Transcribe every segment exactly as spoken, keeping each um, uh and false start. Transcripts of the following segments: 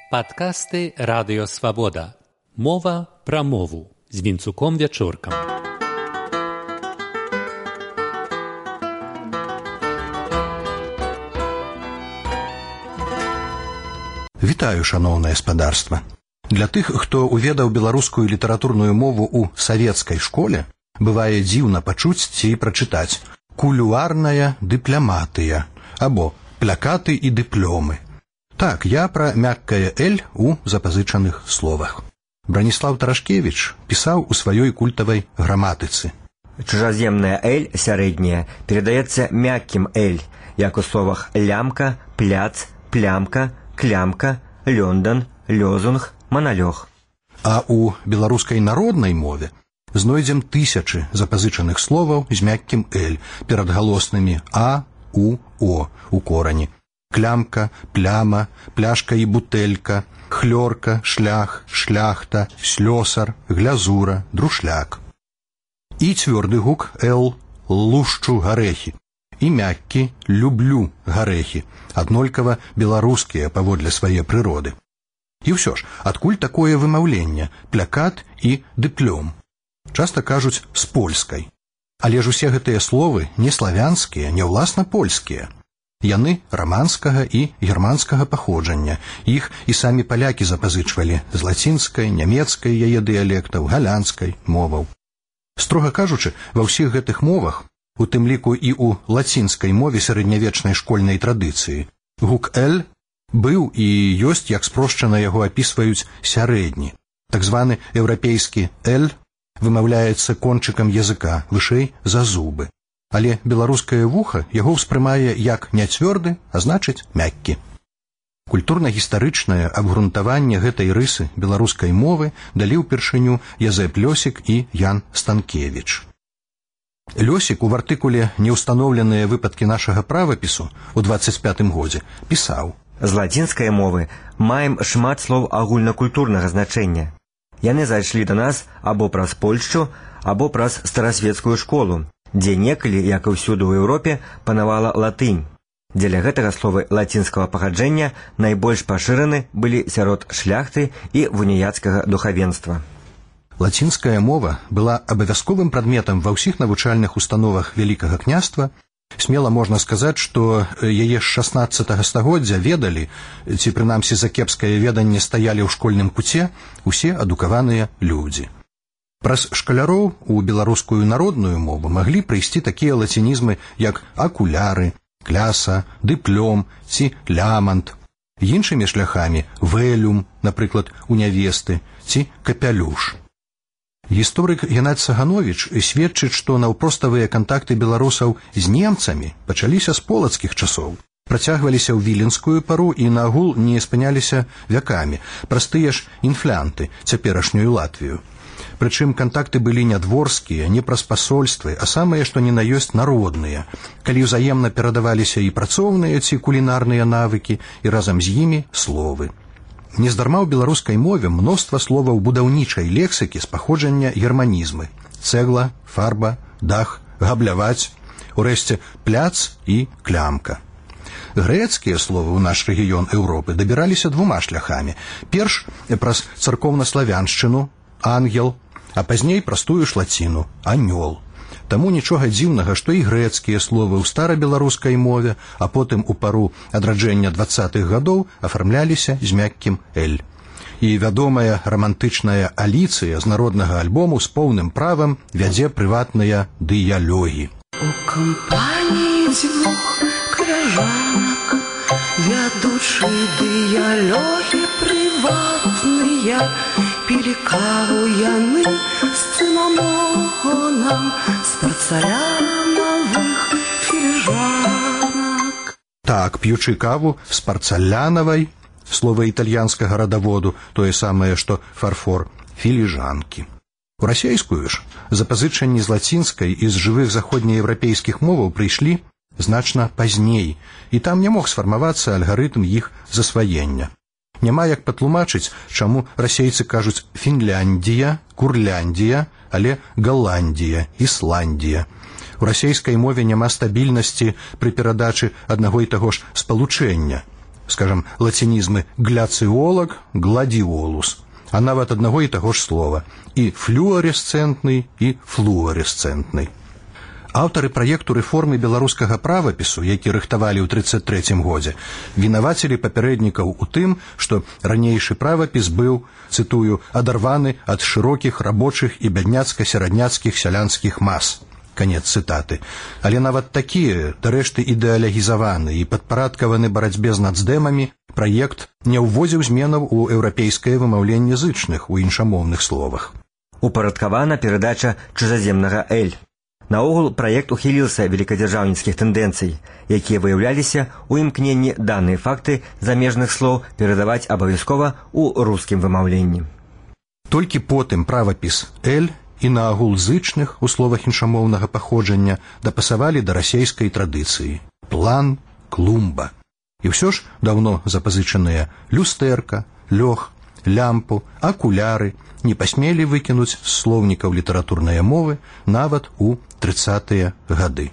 Падкасты Радыё Свабода. Мова пра мову з Вінцуком Вячоркам. Вітаю, шаноўнае спадарства. Для тых, хто уведаў беларускую літаратурную мову ў савецкай школе, бывае дзіўна пачуць ці прачытаць кулюарная дыпляматыя або плякаты і дыплёмы. Так, я пра мяккае «эль» у запазычаных словах. Браніслаў Тарашкевіч пісаў у сваёй культавай граматыцы. Чужаземная «эль» сярэдняя перадаецца мяккім «эль», як у словах лямка, пляц, плямка, клямка, лёндан, лёзунг, маналёг. А у беларускай народнай мове знойдзем тысячы запазычаных словаў з мяккім «эль» перад галоснымі «а», «у», «о» у корані. Клямка, пляма, пляшка і бутэлька, хлёрка, шлях, шляхта, слёсар, глязура, друшляк. І цвёрды гук «л», лушчу гарэхі, і мяккі «люблю гарэхі», аднолькава беларускія паводле свае прыроды. І ўсё ж, адкуль такое вымаўленне «плякат» і «дыплём»? Часта кажуць з польскай. Але ж усе гэтыя словы не славянскія, не ўласна польскія. Яны раманскага і германскага паходжання. Іх і самі палякі запазычвалі з лацінскай, нямецкай яе дыялектаў, галандскай моваў. Строга кажучы, ва ўсіх гэтых мовах, у тым ліку і ў лацінскай мове сярэднявечнай школьнай традыцыі, гук «эль» быў і ёсць, як спрошчана яго апісваюць, сярэдні. Так званы еўрапейскі «эль» вымаўляецца кончыкам языка, вышэй за зубы. Але беларускае вуха яго ўспрымае як не цвёрды, а значыць мяккі. Культурна-гістарычнае абгрунтаванне гэтай рысы беларускай мовы далі ўпершыню Язэп Лёсік і Ян Станкевіч. Лёсік у артыкуле «Неўстаноўленыя выпадкі нашага правапісу» у дваццаць пятым годзе пісаў: «З лацінскай мовы маем шмат слоў агульнакультурнага значэння. Яны зайшлі да нас або праз Польшчу, або праз старасветскую школу, дзе некалі, як і ўсюды ў Еўропе, панавала латынь. Дзеля гэтага словы лацінскага паходжання найбольш пашыраны былі сярод шляхты і вуніяцкага духавенства». Лацінская мова была абавязковым прадметам ва ўсіх навучальных установах Вялікага княства. Смела можна сказаць, што яе з шаснаццатага стагоддзя ведалі, ці прынамсі за кепскае веданне стаялі ў школьным куце усе адукаваныя людзі. Праз шкаляроў у беларускую народную мову маглі прыйсці такія лацінізмы, як акуляры, кляса, дыплём ці лямант. Іншымі шляхамі вэлюм, напрыклад, у нявесты, ці капялюш. Гісторык Геннадзь Сагановіч сведчыць, што наўпроставыя кантакты беларусаў з немцамі пачаліся з полацкіх часоў, працягваліся ў віленскую пару і наагул не спыняліся вякамі, праз тыя ж інфлянты, цяперашнюю Латвію. Прычым кантакты былі не дворскія, не праз пасольствы, а самыя, што ні на ёсць, народныя, калі ўзаемна перадаваліся і працоўныя ці кулінарныя навыкі, і разам з імі словы. Нездарма ў беларускай мове мноства словаў будаўнічай лексікі з паходжання германізмы: цэгла, фарба, дах, габляваць, урэшце пляц і клямка. Грэцкія словы ў наш рэгіён Еўропы дабіраліся двума шляхамі. Перш праз царкоўнаславяншчыну, ангел, а пазней праз-тую ж лаціну, анёл. Таму нічога дзіўнага, што і грэцкія словы ў старабеларускай мове, а потым у пару адраджэння дваццатых гадоў афармляліся з мяккім «эль». І вядомая рамантычная Аліцыя з народнага альбому з поўным правам вядзе прыватныя дыялогі. У кампаніі дзвюх крыжанак вядучы дыялогі прыватныя, пілі каву яны з цынамонам з парцалянавых філіжанак. Так, п'ючы каву з парцалянавай, слова італьянскага радаводу, тое самае, што фарфор, філіжанкі. У расейскую ж запазычанні з лацінскай і з жывых заходнееўрапейскіх моваў прыйшлі значна пазней, і там не мог сфармавацца алгарытм іх засваення. Няма як патлумачыць, чаму расейцы кажуць Фінляндія, Курляндія, але Галандія, Ісландія. У расейскай мове няма стабільнасці пры перадачы аднаго і таго ж спалучэння. скажем, лацінізмы «гляциолог», «гладиолус», а нават аднаго і таго ж слова, і флюаресцэнтны, і флуаресцэнтны. Аўтары праекту рэформы беларускага правапісу, які рыхтавалі ў трыццаць трэцім годзе, вінавацілі папярэднікаў у тым, што ранейшы правапіс быў, цытую, адарваны ад шырокіх рабочых і бядняцка-серадняцкіх сялянскіх мас. Канец цытаты. Але нават такія, дарэшты ідэалягізаваны і падпарадкаваны барацьбе з нацдэмамі, праект не ўводзіў зменаў у еўрапейскае вымаўленне зычных у іншамоўных словах. Упарадкавана перадача чужаземнага «эль». Наогул праект ухіліўся великадзяржаўніцкіх тэндэнцый, якія выяўляліся ў імкненні даныя факты замежных слоў перадаваць абавязкова ў рускім вымаўленні. Толькі потым правапіс «эль» і наагул зычных у словах іншамоўнага паходжання дапасавалі да расейскай традыцыі – план, клумба. І ўсё ж даўно запазычаныя люстэрка, лёг, лямпу, акуляры не пасмелі выкінуць з слоўнікаў літаратурнай мовы нават у трыццатыя гады.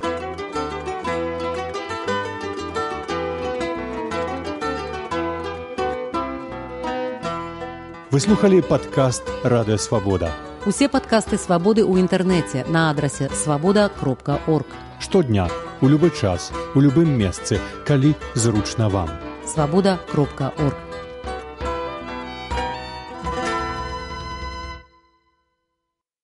Вы слухали падкаст «Радыё Свабода». Усе падкасты «Свабоды» ў інтэрнэце на адрасе свабода кропка орг. Штодня, у любы час, у любым месцы, калі зручна вам. свабода кропка орг.